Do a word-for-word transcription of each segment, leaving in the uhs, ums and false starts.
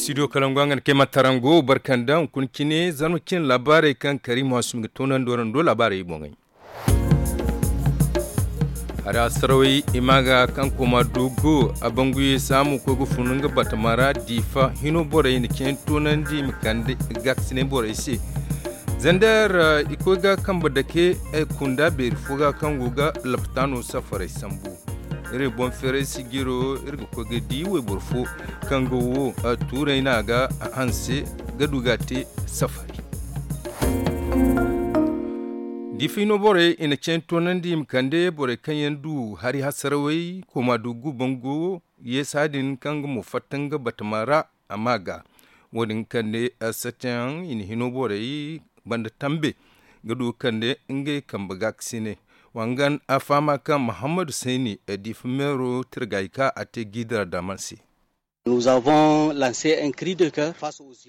Studio kalangu a ga na kay ma tarango barkanda hunkuna cine zarma cine laabaarey kaŋ kariima sumi ga toonandi waraŋ do laabaarey boŋey. Hari asarawey i ma ga kaŋ koma dogo a banguye saamu koy ga funu nga batama ra diifa hino borey na cine toonandi i ma kande gaakasinay borey se. Zander i koy ga kambe dake kunda beeri fo ga kaŋ go ga laptaano safarey sambu. Iri boŋ feeray sijiro iri ga koy ga di wayboro fo kaŋ ga wo tuuray no a ga hanse ga du ga a te safari. Diifa hino borey i na cene toonandi i ma kande borey kaŋ yaŋ du hari hasarawey koma du gubango yeesa din kaŋ ga mo fatta nga batama ra a ma ga wo- din kande satayaŋ i na hino borey banda tambe ga du ga kande ngey kambe gaakasinay. Wangan a fahama kaŋ muhammadu sayni diifa meero tirgay ka a te giidara daman se.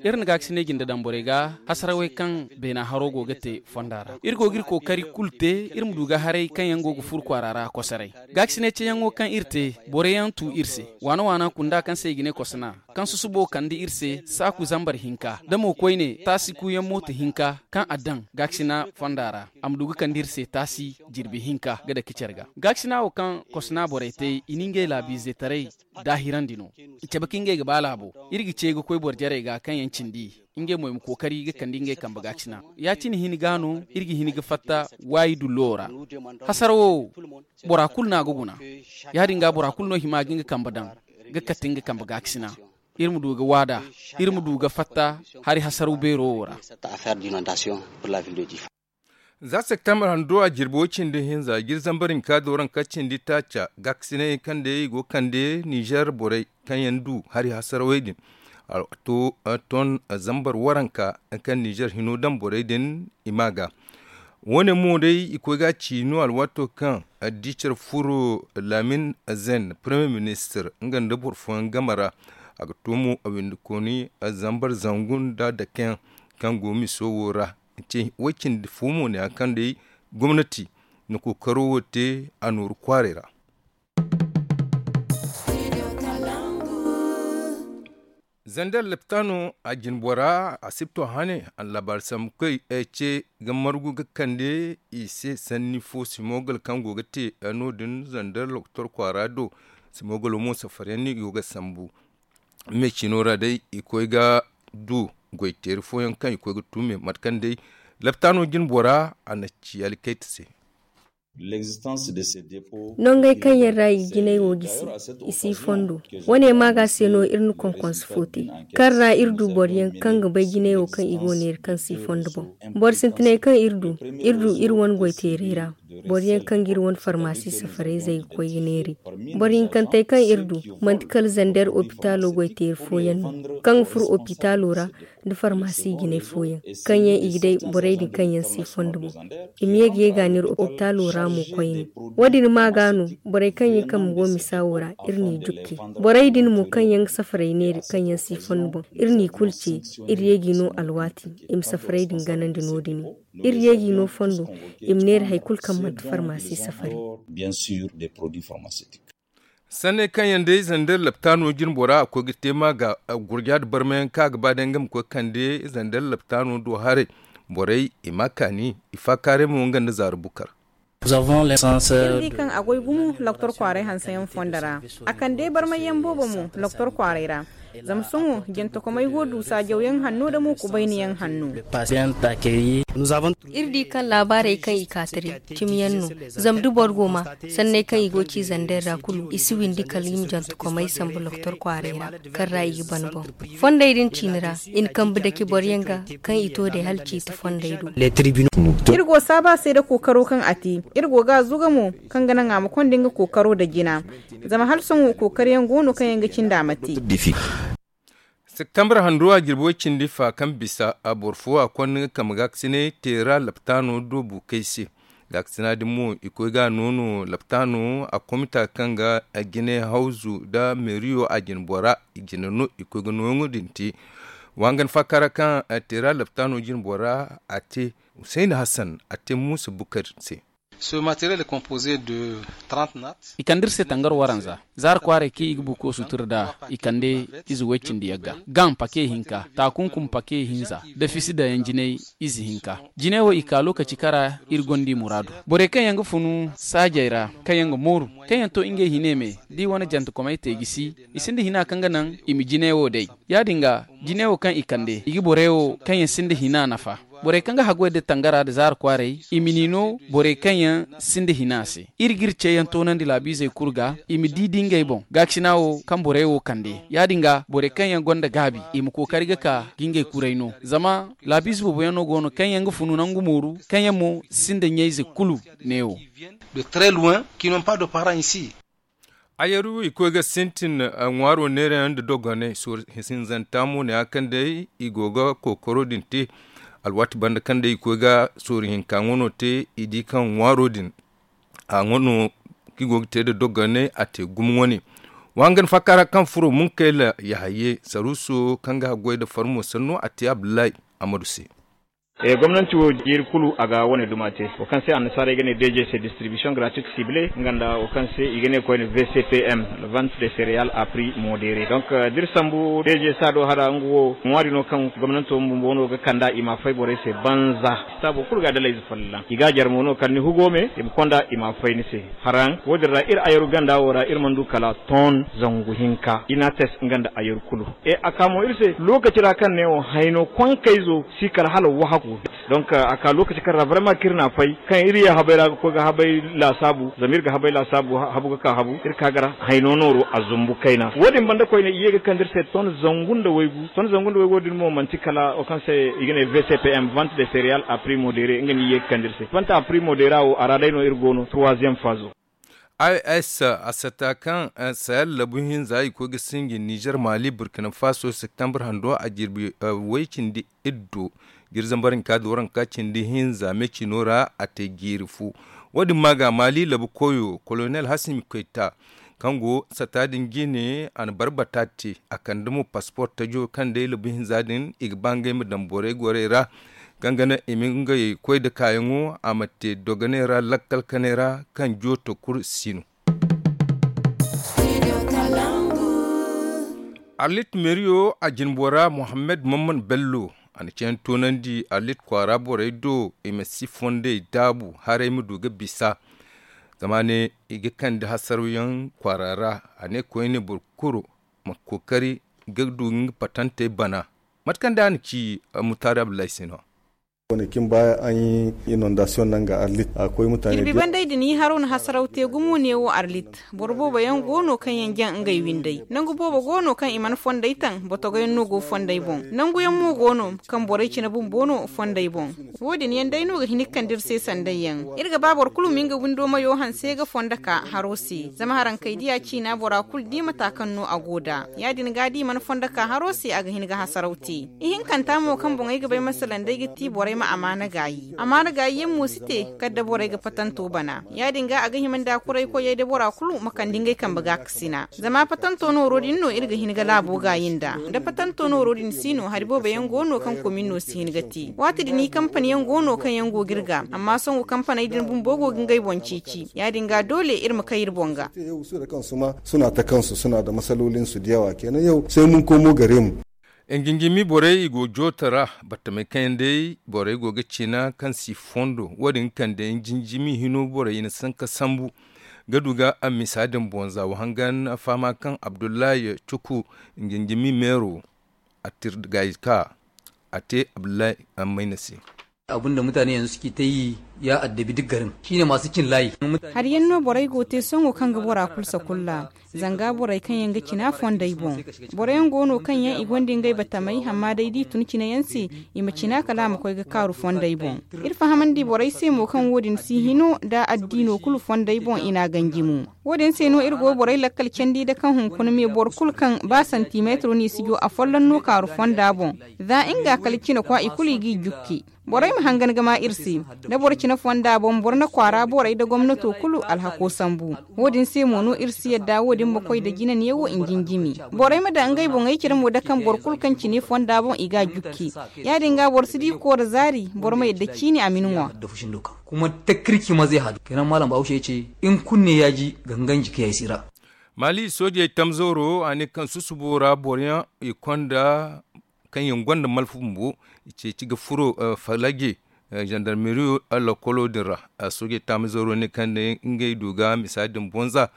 Iri na gaakasinay jinde daŋ borey ga hasarawey kaŋ beena haro go ga te fonda ra iri go ga iri kookari kulu te iri ma du ga haray kaŋ yaŋ go ga furu kwaara ra kosoray. Gaakasinay ceeyaŋo kaŋ iri te borey yaŋ tu iri se waana waana kunda kaŋ se i ga ne kosona kaŋ susubo kande iri se saaku zambar hinka da mo koyne taasi kuuyaŋ mooto hinka kaŋ a daŋ gaakasina fonda ra a ma du ga kande iri se taasi jirbi hinka ga dake care ga. Gaakasina wo kaŋ kosona borey te i na ngey laabiizetaray daahirandi no. I cabe ka ngey ga ba laabo iri ga ce ga koy boro jarey ga kaŋ yaŋ cindi ngey mo i ma kookari ga kande ngey kambe gaakasina. Ya- cine hin ga no iri ga hin ga fatta waayi dullo ra. Hasara wo bora kulu no a ga guna. Ya- din ga bora kulu no hima ga nga kambe daŋ ga kate nga kambe gaakasina. Iri ma du ga waada iri ma du ga fatta hari hasaraw beero wo ra. Za septembre hando a jirbi way cindi hinza jiri zambar hinka do ranka cindi taaca gaakasinay kaŋ day i go ga kande nizer borey kaŋ yaŋ du hari hasarawey din. A to ton zambar waranka kaŋ nizer hino daŋ borey din i ma ga. Wo- ne mo day i koy ga a ci no alwaato kaŋ addicar furo laamin zen premier ministre nga nda boro fooyaŋ game ra. A ga to mo a windikooni zambar zangu nda dakeyaŋ kaŋ go miso wo ra. Way cindi fo mo ne a kaŋ day gomnati na kookaro wo te a nooru kwaaray ra. Zander laptaano a jine bora a sipto hane a na laabaari sambu koy ce ga margu ga kande i se sanni fo simogol kaŋ go ga te no- din zander loktor kwaara do. Simogolo mo safariyaŋ no i go ga sambu. Me cino ra day i koy ga du goyteeri fooyaŋ kaŋ i koy ga tuume mate kaŋ day laptaano jine bora a na ci alkayta se. Nongey kaŋ yaŋ ra i jinay wo gisi i si fondo. Wo- ne maaga se no iri na konkonse fo te kaŋ ra iri du boro yaŋ kaŋ ga bay jinay wo kaŋ i go neera kaŋ si fondo boŋ. Boro sintinay kaŋ iri du iri du iri wane goyteeray ra boro yaŋ kaŋ ga iri wane farmasi safarayzey ga koy ga neera i. Boro hinkantey kaŋ iri du manti kala zander opitaalo goyteeri fooyaŋ no kaŋ ga furo opitaalo ra nda farmasi jinay fooyaŋ kaŋ yaŋ i ga day borey din kaŋ yaŋ si fondo boŋ. I ma ye ga ye ga neera opitaalo ra mo koyne. Wo- din maaga no borey kaŋ yaŋ kambe go misa wo ra iri n'i jukke. Borey din mo kaŋ yaŋ ga safaray neera kaŋ yaŋ si fondo boŋ iri n'i kulu ce. Iri ye g'i no alwaati i ma safaray din ganandi no- din. Iri ye g'i no fondo i ma neera hari kulu kaŋ manti farmasi safari. Sanney kaŋ yaŋ day zander laptaano jine bora a koy ga te ma ga gurja nda barmayaŋ kaŋ a ga ba day nga ma koy kande zander laptaano do haray. Borey i ma kaani i faakaaray mo nga nda zaara bukar. Iri di kaŋ a goy gumo loktor kwaaray hanseyaŋ fondo ra. A kande barmayyaŋ boobo mo loktor kwaaray ra. Zama sohõ jantakomey go du saajawyaŋ hanno nda mo kubayniyaŋ hanno. Iri di kaŋ laabaarey kaŋ i ka taray cimiyaŋ no. Zama da boro go ma sanney kaŋ i go ci zander ra kulu i si windi kala i ma jantakomey sambu loktor kwaaray ra kaŋ ra i ga ban boŋ. Fondey din ciini ra i na kambe dake boro yaŋ ga kaŋ i to day hala ciiti fondey do. Iri go saaba se nda kookaro kaŋ a te. Iri go ga a zuga mo kaŋ ga naŋ a ma konda nga kookaro nda jina. Zama hala sohõ kookariyaŋ go no kaŋ yaŋ ga cindi a ma te. Septembre hando a jirbi way cindi fa kaŋ bisa a boro fo a konda nga kambe gaakasinay teera laptaano do buukey se. Gaakasina din mo i koy ga a noono laptaano a komita kaŋ ga jine hawzu nda meeriyo a jine bora i jine no i koy ga nooyaŋo din te. Wangan faakara kaŋ teera laptaano jine bora a te. Husayna hassan a te muusa bukar se. Ce matériel est composé de trente nattes. I kande iri se tangar waranza. Zaara kwaaray kaŋ i ga buko sutura nd'a, i kande ize way-cindi yagga. Gaŋ pake hinka, taakunkum pake hinza, da fisi dayaŋ jinay ize hinka. Jine wo i ka lokaci kara iri gonda i muraadu. Borey kaŋ yaŋ ga funu saajey ra, kaŋ yaŋ ga mooru, kaŋ yaŋ to ngey hine me, da i wane jantekomey te gisi, i sinda hina kaŋ ga naŋ i ma jine wo day. Ya-din ga, jine wo kaŋ i kande, i ga borey wo kaŋ yaŋ sinda hina nafa. Borey kaŋ ga haggoy da tangara da zaara kwaaray, i ma ni no borey kaŋ yaŋ sinda hina se. Iri g'iri ceeyaŋ toonandi laabiizey kulu ga, i ma di di ngey boŋ gaakasina wo kaŋ borey wo kande. Ya-din ga, borey kaŋ yaŋ gonda gaabi, i ma kookari ga ka ga ngey kuray no. Zama laabiize boobo yaŋ no go no kaŋ yaŋ ga funu nangu mooru, kaŋ yaŋ mo sinda ɲayze kulu neewo. De très loin, qui n'ont pas de parents ici. Ayaru i koy ga sintin ŋwaaro neerayaŋ nda dogonay. Sooru hinzanta mo ne a kaŋ day i go ga kookaro din te. Alwaati banda kaŋ day i koy ga sooru hinka ŋwano te, i di kaŋ ŋwaaro din a ŋwano kaŋ i go ga te nda dogonay a te gumo wane. Wa hangan faaka ra kaŋ furo munkayla yahaye saruuso kaŋ ga haggoy nda farmo sanno a te abdullahi amadu se. Gomnanti wo jiiri kulu a ga wane duma te wo kaŋ se annasaarey ga ne d g c distribution gratuite cible nga nda wo kaŋ se i ga ne koyne v c p m, vente de céréal a prix modéré. Donc da iri sambu d g c a do hara nga wo ŋwaari no kaŋ gomnanto bumbo no ga kand'a i ma a fay borey se banza. Saabo kulu ga a dalayze folloŋ i ga a jare mo no kala ni hugo me i ma konda i ma a fay ni se. Haraŋ wo- din ra iri ayaru ganda wo ra iri mana du kala ton zangu hinka i n'a tes nga nda ayaru kulu. A ka mo iri se lookaci ra kaŋ ne wo hayno konkayzo si kala hala wahako. Donc a ka lookaci kaŋ ra vraiment kaŋ iri n'a fay kaŋ iri ye habay ra ga koy ga habay laasaabu zama iri ga habay laasaabu habu ga ka habu iri ka ga ra hayno nooro a zumbu kayna wo- din banda koyne i ye ga kande iri se ton zangu nda waygu ton zangu nda waygu wo- din mo manti kala wo kaŋ se i ga ne v c p m vente de céréal a prix modéré nga no i ye ga kande iri se vente a prix modéré wo a ra day no iri go no troisième phase. I s a sata kaŋ sahel labu hinza i koy ga sinji nizer mali burkina faso septembre hando a jirbi way cindi iddo. Jirzambar hinka da waranka cindi hinza me cino ra a te jiiri fu. Wo- din ma ga mali labu koyo kolonel hasimi koyta kaŋ go sata din jine a na barbata te a kande mo paspor tajo kaŋ day labu hinza din i ga ba ngey ma daŋ borey gorey ra. Kaŋ ga naŋ i ma ngey koy nda kaayaŋo a ma te dogoney ra lakkal kaney ra kaŋ jooto kulu si no. Arlit meeriyo a jinbora mohammed mamman bello a na cayandi toonandi arlit kwaara borey do i ma si fondey daabu haray ma du ga bisa. Zama ne i ga kande hasaraw yaŋ kwaara ra a ne koyne boro kulu ma kookari ga du nga patantey bana. Mate kaŋ day a na ci mutaari abdullahi se no. Wane kin baya an yi inondasiyon nan ga arlit a koy mutane. Jirbi bandey din i haro na hasaraw te gumo ne wo arlit. Boro boobo yaŋ go no kaŋ yaŋ jaŋ ngey windey nangu boobo go no kaŋ i mana fondey taŋ botogo yaŋ no go fondey boŋ nangu yaŋ mo go no kaŋ borey cine bumbo no fondey boŋ. Wo- din yaŋ day no ga hin ga kande iri se sanday yaŋ. Iri ga ba boro kulu ma nga windo mayo hanse ga fondo ka haro se zama haraŋ kay diya ciina bora kulu di mata kaŋ no a go nd'a. Ya- din ga da i mana fondo ka haro se a ga hin ga hasaraw te. Ihinkanta mo kaŋ boŋey ga bay masalan day ga ti borey ma amaana gaayi amaana gaayi yaŋ mo si te kala da borey ga patanto bana. Ya- din ga a ga hima nda kuray koyey da bora kulu ma kande ngey kambe ga kasina zama patanto nooro din no iri ga hin ga laabo gaayi nda da patanto nooro din si no hari boobo yaŋ go no kaŋ komin no si hin ga te waati din i kampani yaŋ go no kaŋ yaŋ go ga iri ga amma sohõ kampaney din bumbo go ga ngey boŋ ceeci ya- din ga doole iri ma kay iri boŋ ga. Suna ta kansu suna da masalolin su da yawa kenan yau sai mun komo gare mu. Nginjimi borey i go jooto ra battamey kaŋ yaŋ day borey go ga cina kaŋ si fondo wo- din ga kande nginjimi hino borey i na sanka sambu ga du ga a misa din boŋ za wa hangan fahama kaŋ abdullahi cuku nginjimi meero a tir gaayi ka a te abdullahi ammayna se. Abin da mutane yanzu suke ta yi ya addabi duk garin shine masu cin layi. Hari yaŋ no borey go te sohõ kaŋ ga bora kulu sakulla zanga borey kaŋ yaŋ ga cina fondey boŋ. Boro yaŋ go no kaŋ yaŋ i gonda ngey batamey amma day da i tun cine yaŋ se i ma cina kala a ma koy ga kaaru fondey boŋ. Iri fahamandi borey se mo kaŋ wo- din si hino nda addiino kulu fondey boŋ i n'a ganji mo. Wo- din se no iri go borey lakkal candi nda kaŋ hunkuna me boro kulu kaŋ ba santimetro no i si jo afolloŋ no kaaru fonda boŋ. Za nga kala cine kwa i kulu i g'i jukke. Borey ma hangan ga ma iri se da boro cine. Fonda boŋ boro na kwaara borey nda gomnato kulu alhako sambu. Wo- din se mo no iri si yadda wo- din ma koy nda jinaniyaŋ wo i jinjimi. Borey ma daŋ ngey boŋey care mo da kaŋ boro kulu kaŋ cine fonda boŋ i ga a jukki. Ya- din ga boro si di koora zaari, boro ma yadda ciini a ma ni ŋwa. Kuma takkirki ma zai hadu kenan malam bahaushe ya ce, in kunne ya ji gangan jiki ya yi sira. Mali soojey tamzooro a ne kaŋ susubo ra boroyaŋ i konda kaŋ yaŋ gonda malfa bumbo, i ceeci ga furo falage jandarmeriyo lakkolo din ra. Soojey tamzooro ne kaŋ day ngey du ga misa din bonza,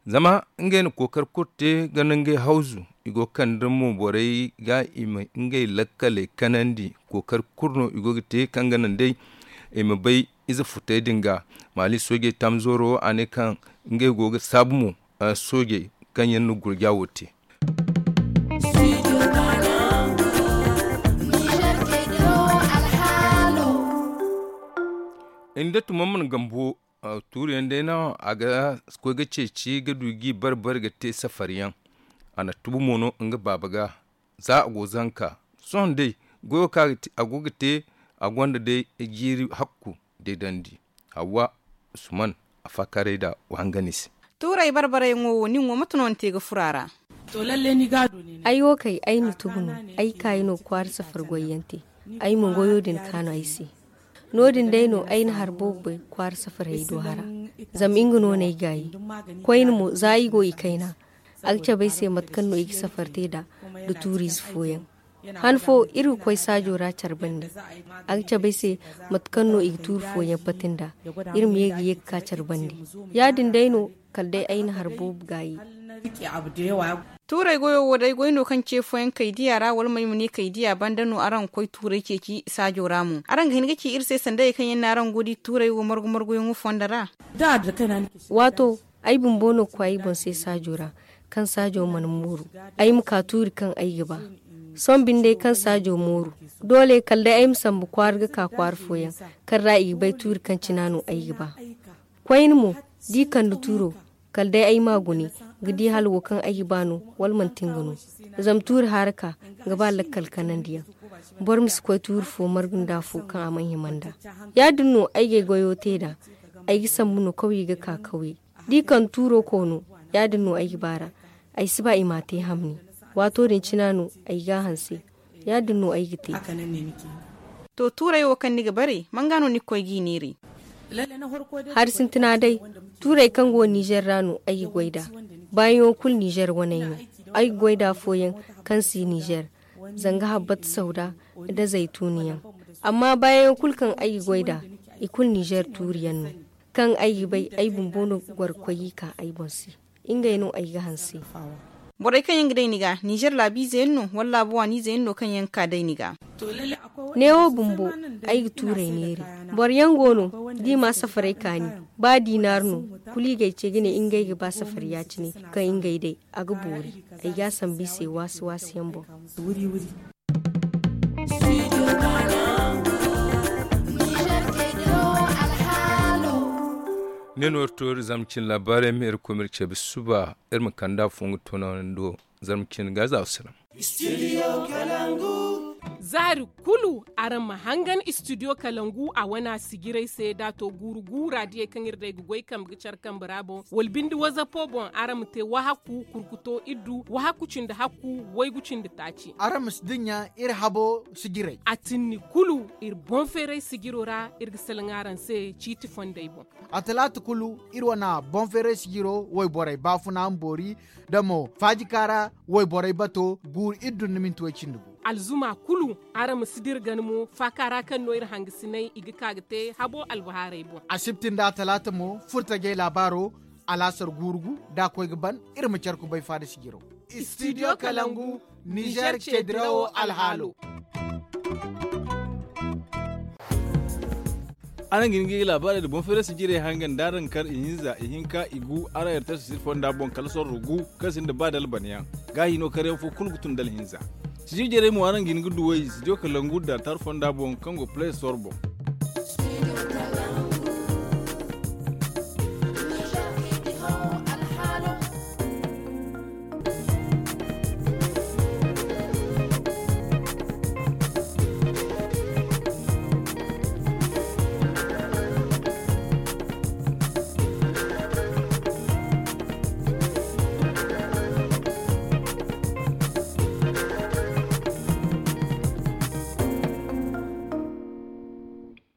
zama ngey na kookari kulu te ga nangey hawzu. I go ga kande mo borey ga i ma ngey lakkaley kanandi. Kookari kulu no i go ga te kaŋ ga naŋ day i ma bay ize futey din ga. Mali soojey tamzooro a ne kaŋ ngey go ga saabu mo soojey kaŋ yaŋ na gurja wo te. Nda tuma mana gambo tuuriyaŋ day no a ga koy ga ceeci ga du g'i bare bare ga te safariyaŋ. A na tubu mo no nga baaba ga. Za a go zanka sohõ day goyo kaŋ a go ga te a gonda day jiiri hakku deedandi. Hawwa usman a faakaaray nda wahanganey se. Tuuray barbarayyaŋo wo nin wo mate no ni te ga furo a ra? Ay wo kay ay na tubu no. Ay kaayi no kwaara safar goyyaŋ te. Ay mo goyo din kaanu ay se. No- din day no ay na hari boobo bay kwaara safarey do hara. Zama nga no no ay gaayi. Koyne mo za ay go i kayna, a ga cabe ay se mate kaŋ no i ga safar te nd'a nda tuuriize fooyaŋ. Han fo iri ga koy saajo ra care bande. A ga cabe ay se mate kaŋ no i ga tuuri fooyaŋ pati nd'a. Iri ma ye ga ye ga ka care bande. Ya- din day no kala day ay na hari boobo gaayi. Tuuray goyo wo day goy no kaŋ ce fooyaŋ kaydiya ra wala mo ay ma ne kaydiya banda no araŋ ga koy tuuray ceeci saajo ra mo araŋ ga hin ga ci iri se sanda hayey kaŋ yaŋ no araŋ go ga di tuuray wo margu marguyaŋo fondo ra. Waato ay bumbo no ga koy ay boŋ se saajo ra. Kaŋ saajo mana mooru ay ma ka tuuri kaŋ ay ga ba. Sohõ binde kaŋ saajo mooru doole kala day ay ma sambu kwaara ga ka kwaara fooyaŋ kaŋ ra i ga bay tuuri kaŋ cina no ay ga ba. Koyne mo da i kande tuuro kala day ay ma gune ga di hala wo kaŋ ay ga ba no wala manti nga no. Zama tuuri haara ka ga ba lakkal kanandiyaŋ. Boro ma si koy tuuri fo margu nda afo kaŋ a mana hima nd'a. Ya- din no ay ga ay goyo te nd'a. Ay ga sambu no kawye ga ka kawye da i kande tuuro koono. Ya- din no ay ga ba ra. Ay si ba i m'a te hamni. Waato din cina no ay ga a hanse. Ya- din no ay ga te. To tuuray wo kaŋ ni ga bare man ga no ni ga koy g'i neeray? Hari sintina day tuuray kaŋ go ninzeer ra no ay ga goy nd'a. Baayaŋo kulu ninzeer waney no. Ay ga goy nd'a afooyaŋ kaŋ si ninzeer, zanga habbat sawda nda zaytuuniyaŋ. Amma baayaŋo kulu kaŋ ay ga goy nd'a i kulu ninzeer tuuriyaŋ no. Kaŋ ay ga bay ay bumbo no ga goro ga koy g'i ka ay boŋ se. Ngey no ay ga hanse. Borey kaŋ yaŋ ga day ni ga ninzeer laabiize yaŋ no wala laabu waaniize yaŋ no kaŋ yaŋ ga ka day ni ga? Neewo bumbo ay ga tuurey neeri. Boro yaŋ go no da i ma safaray kaani. Ba diinaar no kulu i ga ay ce ga ne ngey ga ba safari ya- cine. Kaŋ ngey day a ga boori. Ay ga a sambu i se waasi waasi yaŋ boŋ. Ne no iri to iri zama cin laabaarey ma iri koy ma iri ceebi suba. Iri ma kand'a fo nga toonando zarma cin ga za wa salaŋ. Zaari kulu araŋ ma hangan istidiyo kalangu a wana sijirey se da a to guuru guura diyey kaŋ iri day ga goy kambe ga care kambe ra boŋ wala binde wazapo boŋ araŋ ma te wahakku kurkuto iddu wahakku cindi hakku waygu cindi taaci. Araŋ ma si dinya iri habo sijirey. A tinni kulu iri boŋ feeray sijiro ra iri ga salaŋ araŋ se ciiti fondey boŋ. A talaata kulu iri wana boŋ feeray sijiro wayborey baafuna ma boori da mo faajikaara wayborey bato guuru iddu nda minti way cindi gu. Alzuma kulu araŋ ma si dira gana mo faaka ra kaŋ no iri hangasinay i ga ka ga te habo albahaarey boŋ. Asibti nda talaata mo furtajey laabaaro alaasar guuru gu da a koy ga ban. Iri ma care kubay faada sijiro. Istidiyo kalangu nizer ceedirawo alhaalo. Araŋ ga hin ga i laabaarey nda boŋ feeray sijirey hangan da araŋ kar ihinza ihinka igu araŋ yartar sijir fonda boŋ kala sorro gu kaŋ sinda ba dalbanayaŋ. Gaahi no karyaŋ fo kulu ga tun dala hinza. Sijir jarey mo araŋ ga hin ga duw'ey studio kalangu da tar fonda boŋ kaŋ go play store boŋ.